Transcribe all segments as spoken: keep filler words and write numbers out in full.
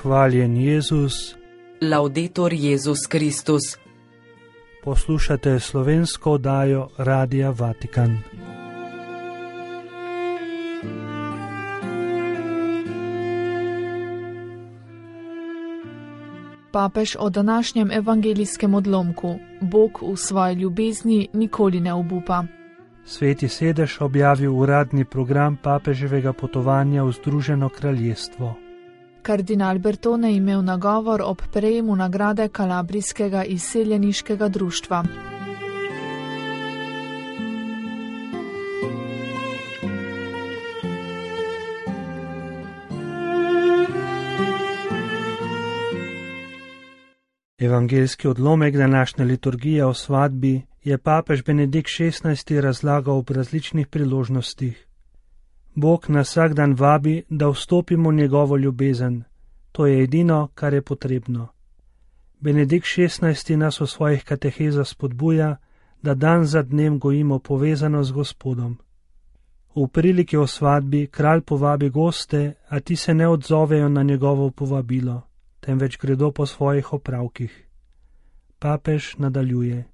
Hvaljen Jezus. Laudetur Jezus Kristus. Poslušate slovensko oddajo Radia Vatikan. Papež o današnjem evangelijskem odlomku: Bog v svoji ljubezni nikoli ne obupa. Sveti sedež objavil uradni program papeževega potovanja v Združeno kraljestvo. Kardinal Bertone je imel nagovor ob prejemu nagrade Kalabrijskega izseljeniškega društva. Evangeljski odlomek današnje liturgije o svadbi je papež Benedikt šestnajsti razlagal ob različnih priložnostih. Bog nas vsak dan vabi, da vstopimo v njegovo ljubezen. To je edino, kar je potrebno. Benedikt šestnajsti nas v svojih katehezah spodbuja, da dan za dnem gojimo povezano z Gospodom. V priliki o svadbi kralj povabi goste, a ti se ne odzovejo na njegovo povabilo, temveč gredo po svojih opravkih. Papež nadaljuje: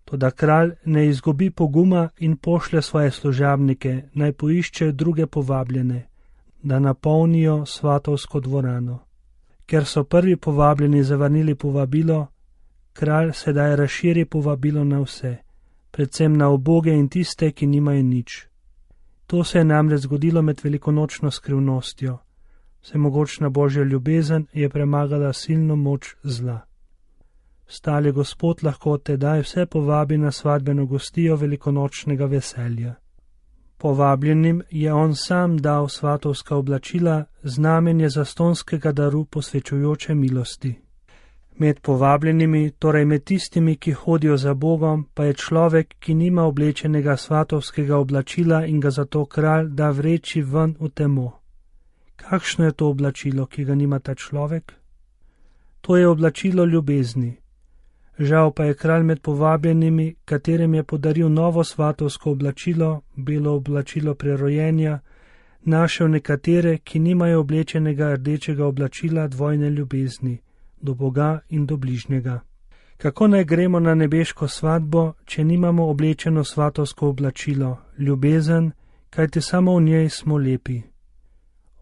Toda kralj ne izgubi poguma in pošlje svoje služabnike, naj poiščejo druge povabljene, da napolnijo svatovsko dvorano. Ker so prvi povabljeni zavrnili povabilo, kralj sedaj razširi povabilo na vse, predvsem na uboge in tiste, ki nimajo nič. To se je namreč zgodilo med velikonočno skrivnostjo. Vsemogočna Božja ljubezen je premagala silno moč zla. Stali Gospod lahko tedaj vse povabi na svadbeno gostijo velikonočnega veselja. Povabljenim je on sam dal svatovska oblačila, znamenje zastonskega daru posvečujoče milosti. Med povabljenimi, torej med tistimi, ki hodijo za Bogom, pa je človek, ki nima oblečenega svatovskega oblačila in ga zato kralj da vreči ven v temo. Kakšno je to oblačilo, ki ga nima ta človek? To je oblačilo ljubezni. Žal pa je kralj med povabljenimi, katerim je podaril novo svatovsko oblačilo, belo oblačilo prerojenja, našel nekatere, ki nimajo oblečenega rdečega oblačila dvojne ljubezni, do Boga in do bližnjega. Kako naj gremo na nebeško svadbo, če nimamo oblečeno svatovsko oblačilo, ljubezen, kajti samo v njej smo lepi.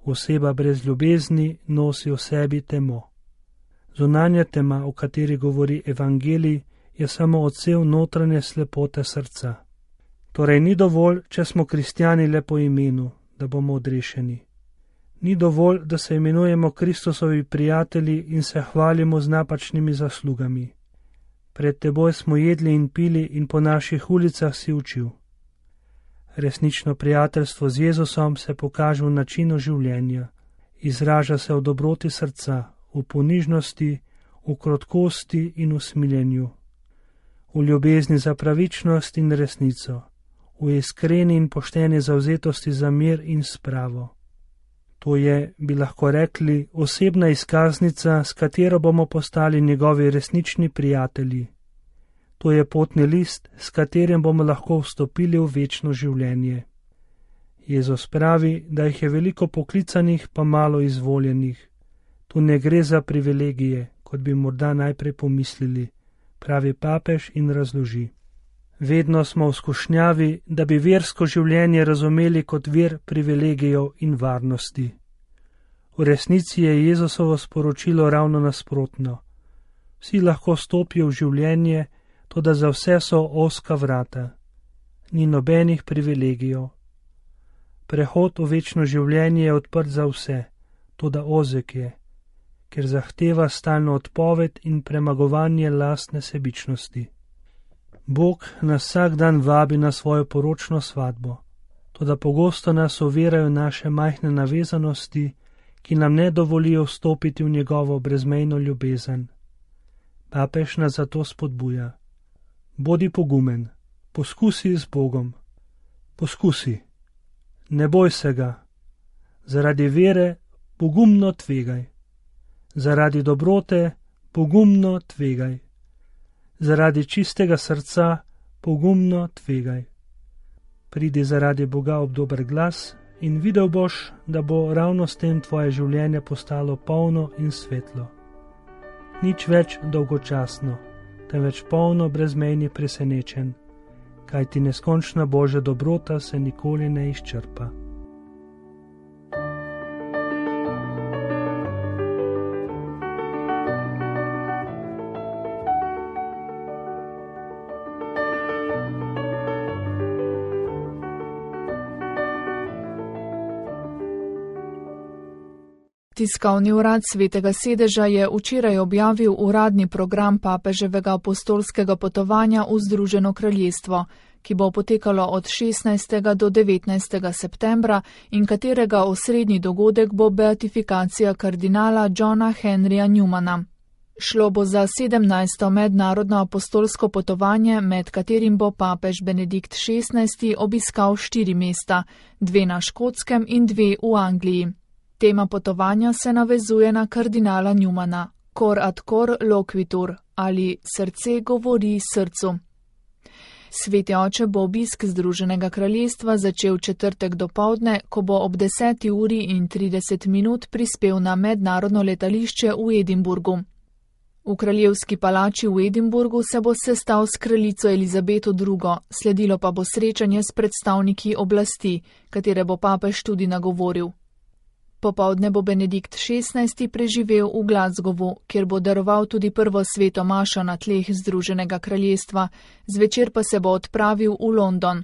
Oseba brez ljubezni nosi v sebi temo. Zunanja tema, o kateri govori evangelij, je samo odsev notranje slepote srca. Torej ni dovolj, če smo kristjani le po imenu, da bomo odrešeni. Ni dovolj, da se imenujemo Kristusovi prijatelji in se hvalimo z napačnimi zaslugami. Pred teboj smo jedli in pili in po naših ulicah si učil. Resnično prijateljstvo z Jezusom se pokaže v načinu življenja, izraža se v dobroti srca, v ponižnosti, v krotkosti in v smiljenju, v ljubezni za pravičnost in resnico, v iskreni in pošteni zavzetosti za mir in spravo. To je, bi lahko rekli, osebna izkaznica, s katero bomo postali njegovi resnični prijatelji. To je potni list, s katerim bomo lahko vstopili v večno življenje. Jezus pravi, da jih je veliko poklicanih, pa malo izvoljenih. Tu ne gre za privilegije, kot bi morda najprej pomislili, pravi papež in razloži. Vedno smo v skušnjavi, da bi versko življenje razumeli kot vir privilegijev in varnosti. V resnici je Jezusovo sporočilo ravno nasprotno. Vsi lahko stopijo v življenje, toda za vse so ozka vrata. Ni nobenih privilegijev. Prehod v večno življenje je odprt za vse, toda ozek je, ker zahteva stalno odpoved in premagovanje lastne sebičnosti. Bog nas vsak dan vabi na svojo poročno svadbo, toda pogosto nas ovirajo naše majhne navezanosti, ki nam ne dovolijo vstopiti v njegovo brezmejno ljubezen. Papež nas zato spodbuja. Bodi pogumen, poskusi z Bogom. Poskusi. Ne boj se ga. Zaradi vere pogumno tvegaj. Zaradi dobrote pogumno tvegaj. Zaradi čistega srca pogumno tvegaj. Pridi zaradi Boga ob dober glas in videl boš, da bo ravno s tem tvoje življenje postalo polno in svetlo. Nič več dolgočasno, temveč polno brezmejnih presenečenj, kajti neskončna Božja dobrota se nikoli ne izčrpa. Tiskovni urad Svetega sedeža je včeraj objavil uradni program papeževega apostolskega potovanja v Združeno kraljestvo, ki bo potekalo od šestnajstega do devetnajstega septembra in katerega osrednji dogodek bo beatifikacija kardinala Johna Henryja Newmana. Šlo bo za sedemnajsto mednarodno apostolsko potovanje, med katerim bo papež Benedikt šestnajsti obiskal štiri mesta, dve na Škotskem in dve v Angliji. Tema potovanja se navezuje na kardinala Newmana, cor ad cor loquitur, ali srce govori srcu. Sveti oče bo obisk Združenega kraljestva začel četrtek dopoldne, ko bo ob deseti uri in trideset minut prispel na mednarodno letališče v Edinburgu. V kraljevski palači v Edinburgu se bo sestal s kraljico Elizabeto drugo, sledilo pa bo srečanje s predstavniki oblasti, katere bo papež tudi nagovoril. Popoldne bo Benedikt šestnajsti preživel v Glasgowu, kjer bo daroval tudi prvo sveto mašo na tleh Združenega kraljestva, zvečer pa se bo odpravil v London.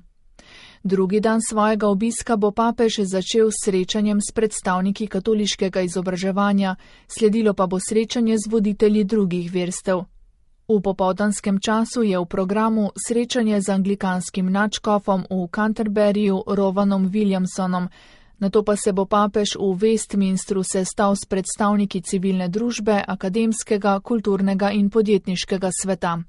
Drugi dan svojega obiska bo papež začel s srečanjem s predstavniki katoliškega izobraževanja, sledilo pa bo srečanje z voditelji drugih verstev. V popoldanskem času je v programu srečanje z anglikanskim nadškofom v Canterburyju Rovanom Williamsonom, nato pa se bo papež v Westminstru sestal s predstavniki civilne družbe, akademskega, kulturnega in podjetniškega sveta.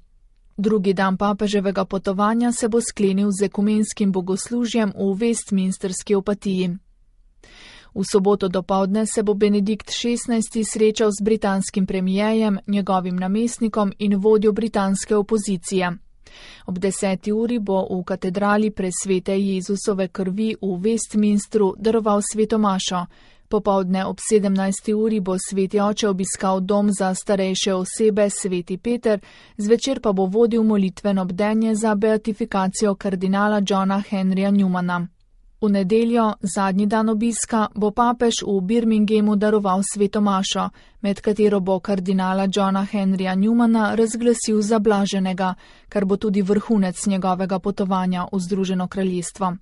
Drugi dan papeževega potovanja se bo sklenil z ekumenskim bogoslužjem v Westminsterski opatiji. V soboto dopoldne se bo Benedikt šestnajsti srečal z britanskim premijejem, njegovim namestnikom in vodjo britanske opozicije. Ob deseti uri bo v katedrali presvete Jezusove krvi v Westminstru daroval sveto mašo. Popoldne ob sedemnajsti uri bo sveti oče obiskal dom za starejše osebe Sveti Peter, zvečer pa bo vodil molitveno bdenje za beatifikacijo kardinala Johna Henryja Newmana. V nedeljo, zadnji dan obiska, bo papež v Birminghamu daroval sveto mašo, med katero bo kardinala Johna Henryja Newmana razglasil za blaženega, kar bo tudi vrhunec njegovega potovanja v Združeno kraljestvo.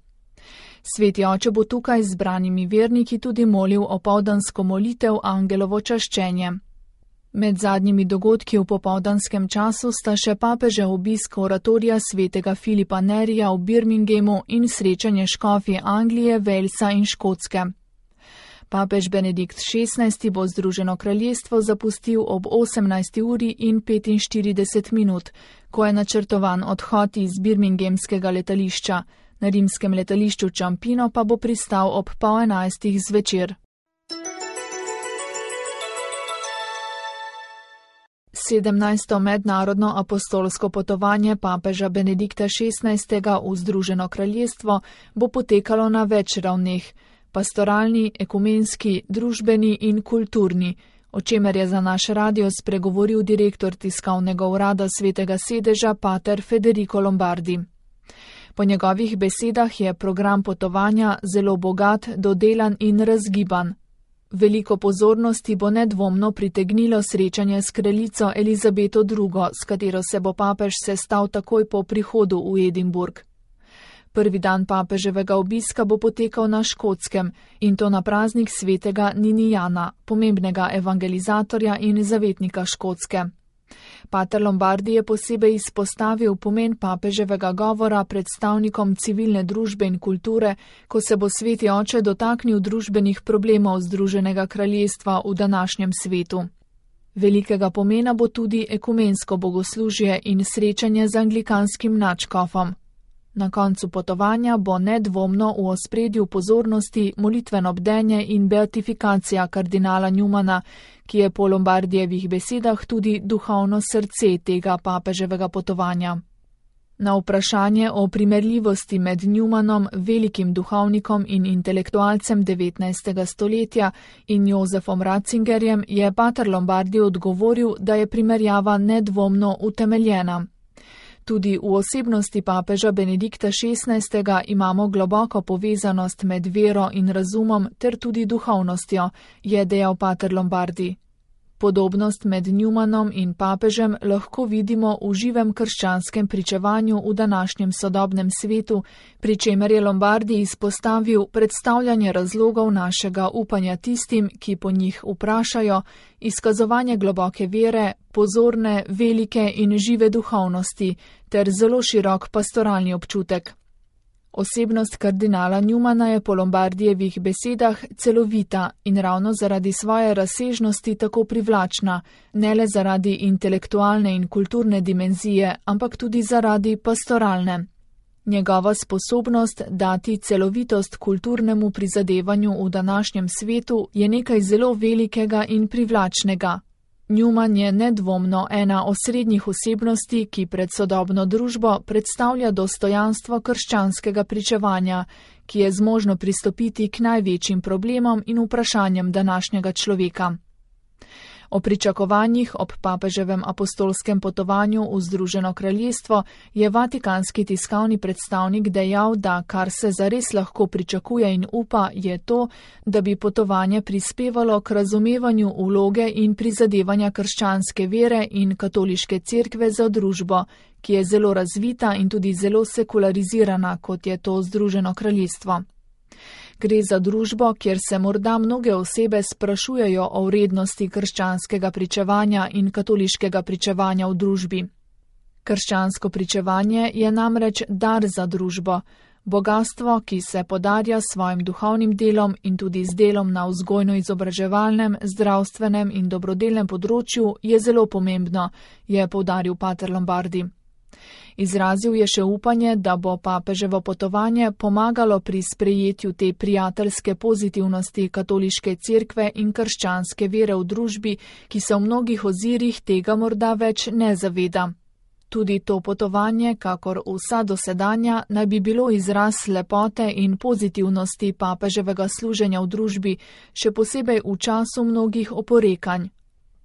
Sveti oče bo tukaj z zbranimi verniki tudi molil opoldansko molitev Angelovo čaščenje. Med zadnjimi dogodki v popoldanskem času sta še papežev obisk oratorija svetega Filipa Nerija v Birminghamu in srečanje škofje Anglije, Walesa in Škotske. Papež Benedikt šestnajsti bo Združeno kraljestvo zapustil ob osemnajsti uri in petinštirideset minut, ko je načrtovan odhod iz birminghamskega letališča. Na rimskem letališču Ciampino pa bo pristal ob pol enajstih zvečer. sedemnajsto mednarodno apostolsko potovanje papeža Benedikta šestnajstega v Združeno kraljestvo bo potekalo na več ravneh: pastoralni, ekumenski, družbeni in kulturni, o čemer je za naš radio spregovoril direktor tiskovnega urada Svetega sedeža pater Federico Lombardi. Po njegovih besedah je program potovanja zelo bogat, dodelan in razgiban. Veliko pozornosti bo nedvomno pritegnilo srečanje s kraljico Elizabeto drugo, s katero se bo papež sestal takoj po prihodu v Edinburg. Prvi dan papeževega obiska bo potekal na Škotskem, in to na praznik svetega Ninijana, pomembnega evangelizatorja in zavetnika Škotske. Pater Lombardi je posebej izpostavil pomen papeževega govora predstavnikom civilne družbe in kulture, ko se bo sveti oče dotaknil družbenih problemov Združenega kraljestva v današnjem svetu. Velikega pomena bo tudi ekumensko bogoslužje in srečanje z anglikanskim nadškofom. Na koncu potovanja bo nedvomno v ospredju pozornosti molitveno bdenje in beatifikacija kardinala Newmana, ki je po Lombardijevih besedah tudi duhovno srce tega papeževega potovanja. Na vprašanje o primerljivosti med Newmanom, velikim duhovnikom in intelektualcem devetnajstega stoletja, in Josefom Ratzingerjem je pater Lombardi odgovoril, da je primerjava nedvomno utemeljena. Tudi v osebnosti papeža Benedikta šestnajstega imamo globoko povezanost med vero in razumom ter tudi duhovnostjo, je dejal pater Lombardi. Podobnost med Newmanom in papežem lahko vidimo v živem krščanskem pričevanju v današnjem sodobnem svetu, pri čemer je Lombardi izpostavil predstavljanje razlogov našega upanja tistim, ki po njih vprašajo, izkazovanje globoke vere, pozorne, velike in žive duhovnosti ter zelo širok pastoralni občutek. Osebnost kardinala Newmana je po Lombardijevih besedah celovita in ravno zaradi svoje razsežnosti tako privlačna, ne le zaradi intelektualne in kulturne dimenzije, ampak tudi zaradi pastoralne. Njegova sposobnost dati celovitost kulturnemu prizadevanju v današnjem svetu je nekaj zelo velikega in privlačnega. Newman je nedvomno ena osrednjih osebnosti, ki pred sodobno družbo predstavlja dostojanstvo krščanskega pričevanja, ki je zmožno pristopiti k največjim problemom in vprašanjem današnjega človeka. O pričakovanjih ob papeževem apostolskem potovanju v Združeno kraljestvo je vatikanski tiskovni predstavnik dejal, da kar se zares lahko pričakuje in upa, je to, da bi potovanje prispevalo k razumevanju vloge in prizadevanja krščanske vere in katoliške cerkve za družbo, ki je zelo razvita in tudi zelo sekularizirana, kot je to Združeno kraljestvo. Gre za družbo, kjer se morda mnoge osebe sprašujejo o vrednosti krščanskega pričevanja in katoliškega pričevanja v družbi. Krščansko pričevanje je namreč dar za družbo, bogastvo, ki se podarja s svojim duhovnim delom in tudi z delom na vzgojno-izobraževalnem, zdravstvenem in dobrodelnem področju, je zelo pomembno, je poudaril pater Lombardi. Izrazil je še upanje, da bo papeževo potovanje pomagalo pri sprejetju te prijateljske pozitivnosti katoliške cerkve in krščanske vere v družbi, ki se v mnogih ozirih tega morda več ne zaveda. Tudi to potovanje, kakor vsa dosedanja, naj bi bilo izraz lepote in pozitivnosti papeževega služenja v družbi, še posebej v času mnogih oporekanj.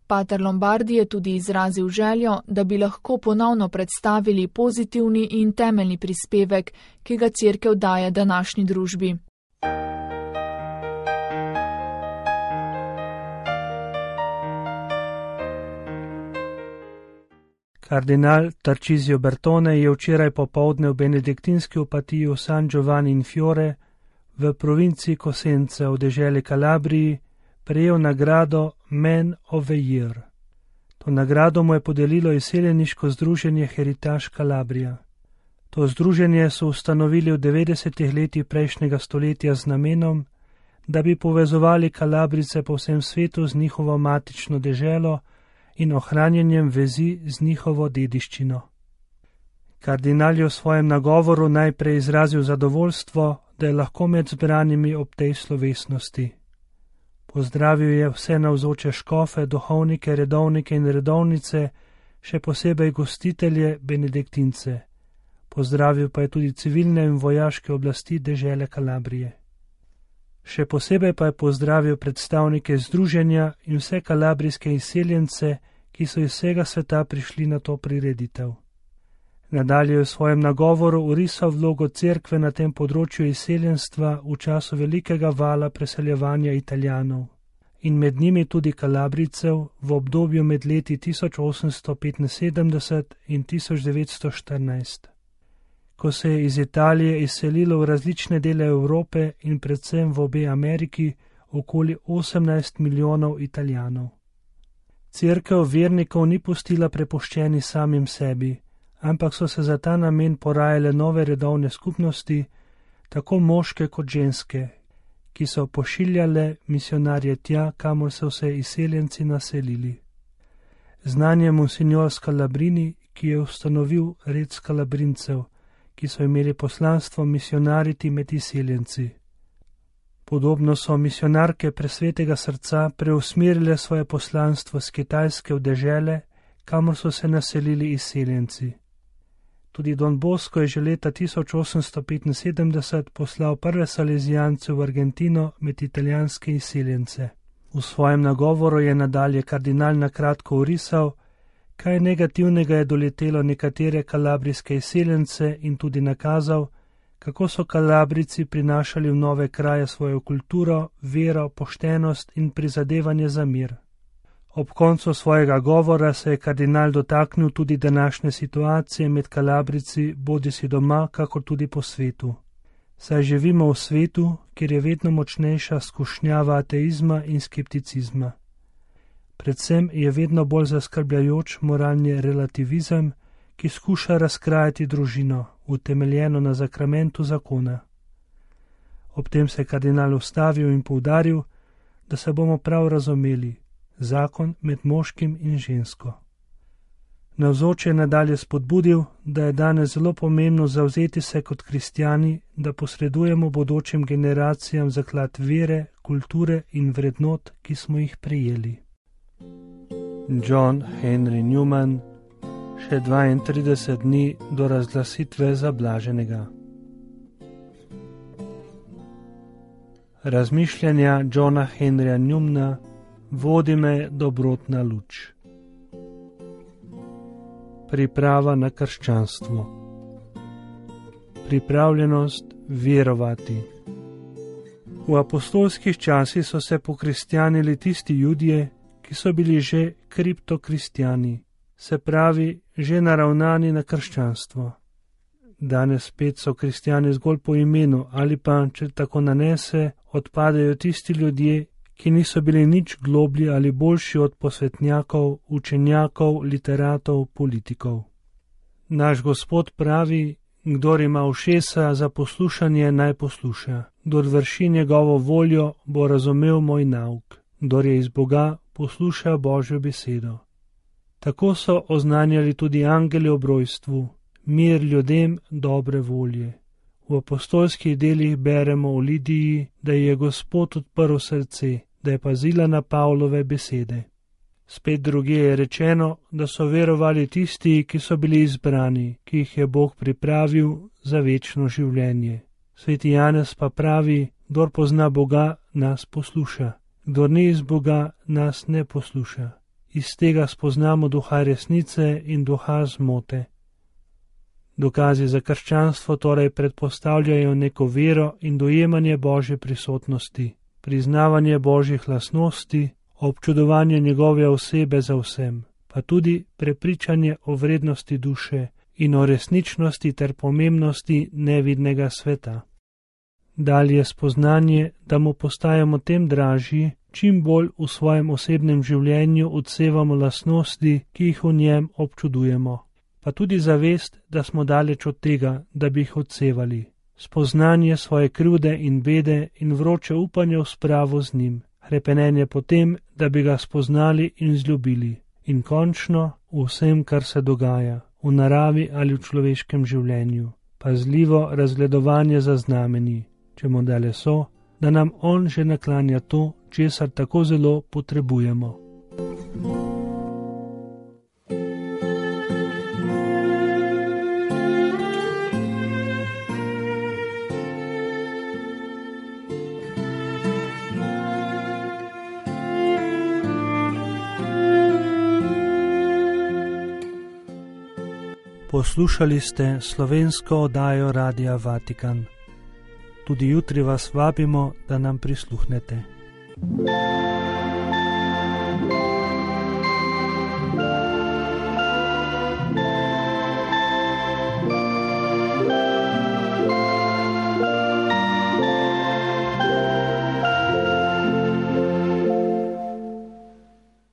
Pater Lombardi je tudi izrazil željo, da bi lahko ponovno predstavili pozitivni in temeljni prispevek, ki ga cerkev daje današnji družbi. Kardinal Tarcisio Bertone je včeraj popoldne v benediktinski opatiji v San Giovanni in Fiore v provinci Cosenza v deželi Kalabriji prejel nagrado Man of the Year. To nagrado mu je podelilo izseljeniško združenje Heritage Calabria. To združenje so ustanovili v devetdesetih letih prejšnjega stoletja z namenom, da bi povezovali Kalabrice po vsem svetu z njihovo matično deželo in ohranjanjem vezi z njihovo dediščino. Kardinal je v svojem nagovoru najprej izrazil zadovoljstvo, da je lahko med zbranimi ob tej slovesnosti. Pozdravil je vse navzoče škofe, duhovnike, redovnike in redovnice, še posebej gostitelje, benediktince. Pozdravil pa je tudi civilne in vojaške oblasti dežele Kalabrije. Še posebej pa je pozdravil predstavnike združenja in vse kalabrijske izseljence, ki so iz vsega sveta prišli na to prireditev. Nadalje je v svojem nagovoru orisal vlogo cerkve na tem področju izseljenstva v času velikega vala preseljevanja Italijanov in med njimi tudi Kalabrijcev v obdobju med leti tisoč osemsto petinsedemdeset in tisoč devetsto štirinajst, ko se je iz Italije izselilo v različne dele Evrope in predvsem v obe Ameriki okoli osemnajst milijonov Italijanov. Cerkev vernikov ni pustila prepuščeni samim sebi, ampak so se za ta namen porajale nove redovne skupnosti, tako moške kot ženske, ki so pošiljale misionarje tja, kamor so se izseljenci naselili. Znanje monsignor Scalabrini, ki je ustanovil red Scalabrincev, ki so imeli poslanstvo misionariti med izseljenci. Podobno so misionarke Presvetega srca preusmerile svoje poslanstvo z Kitajske v dežele, kamor so se naselili izseljenci. Tudi Don Bosco je že leta tisoč osemsto petinsedemdeset poslal prve salezijance v Argentino med italijanske izseljence. V svojem nagovoru je nadalje kardinal na kratko orisal, kaj negativnega je doletelo nekatere kalabrijske izseljence in tudi nakazal, kako so Kalabrici prinašali v nove kraje svojo kulturo, vero, poštenost in prizadevanje za mir. Ob koncu svojega govora se je kardinal dotaknil tudi današnje situacije med Kalabrici, bodisi doma, kakor tudi po svetu. Saj živimo v svetu, kjer je vedno močnejša skušnjava ateizma in skepticizma. Predvsem je vedno bolj zaskrbljajoč moralni relativizem, ki skuša razkrajati družino, utemeljeno na zakramentu zakona. Ob tem se je kardinal ustavil in poudaril, da se bomo prav razumeli, zakon med moškim in žensko. Navzoče je nadalje spodbudil, da je danes zelo pomembno zavzeti se kot kristjani, da posredujemo bodočim generacijam zaklad vere, kulture in vrednot, ki smo jih prejeli. John Henry Newman, še dvaintrideset dni do razglasitve za blaženega. Razmišljanja Johna Henryja Newmana vodi me dobrotna luč. Priprava na krščanstvo. Pripravljenost verovati. V apostolskih časih so se pokristjanili tisti Judje, ki so bili že kriptokristjani, se pravi, že naravnani na krščanstvo. Danes spet so kristjani zgolj po imenu ali pa, če tako nanese, odpadejo tisti ljudje, ki niso bili nič globlji ali boljši od posvetnjakov, učenjakov, literatov, politikov. Naš Gospod pravi, kdor ima ušesa za poslušanje, naj posluša. Kdor vrši njegovo voljo, bo razumel moj nauk. Kdor je iz Boga, posluša Božjo besedo. Tako so oznanjali tudi angeli ob rojstvu, mir ljudem dobre volje. V apostolskih delih beremo o Lidiji, da je Gospod odprl srce, da je pazila na Pavlove besede. Spet druge je rečeno, da so verovali tisti, ki so bili izbrani, ki jih je Bog pripravil za večno življenje. Sveti Janez pa pravi, kdor pozna Boga, nas posluša. Kdor ni iz Boga, nas ne posluša. Iz tega spoznamo duha resnice in duha zmote. Dokazi za krščanstvo torej predpostavljajo neko vero in dojemanje Božje prisotnosti, priznavanje Božjih lastnosti, občudovanje njegove osebe za vsem, pa tudi prepričanje o vrednosti duše in o resničnosti ter pomembnosti nevidnega sveta. Dalje spoznanje, da mu postajamo tem dražji, čim bolj v svojem osebnem življenju odsevamo lastnosti, ki jih v njem občudujemo. Pa tudi zavest, da smo daleč od tega, da bi jih odsevali. Spoznanje svoje krivde in bede in vroče upanje v spravo z njim. Hrepenenje potem, da bi ga spoznali in zljubili. In končno v vsem, kar se dogaja, v naravi ali v človeškem življenju. Pazljivo razgledovanje za znameni, če mu dale so, da nam on že naklanja to, česar tako zelo potrebujemo. Poslušali ste slovensko oddajo Radia Vatikan. Tudi jutri vas vabimo, da nam prisluhnete.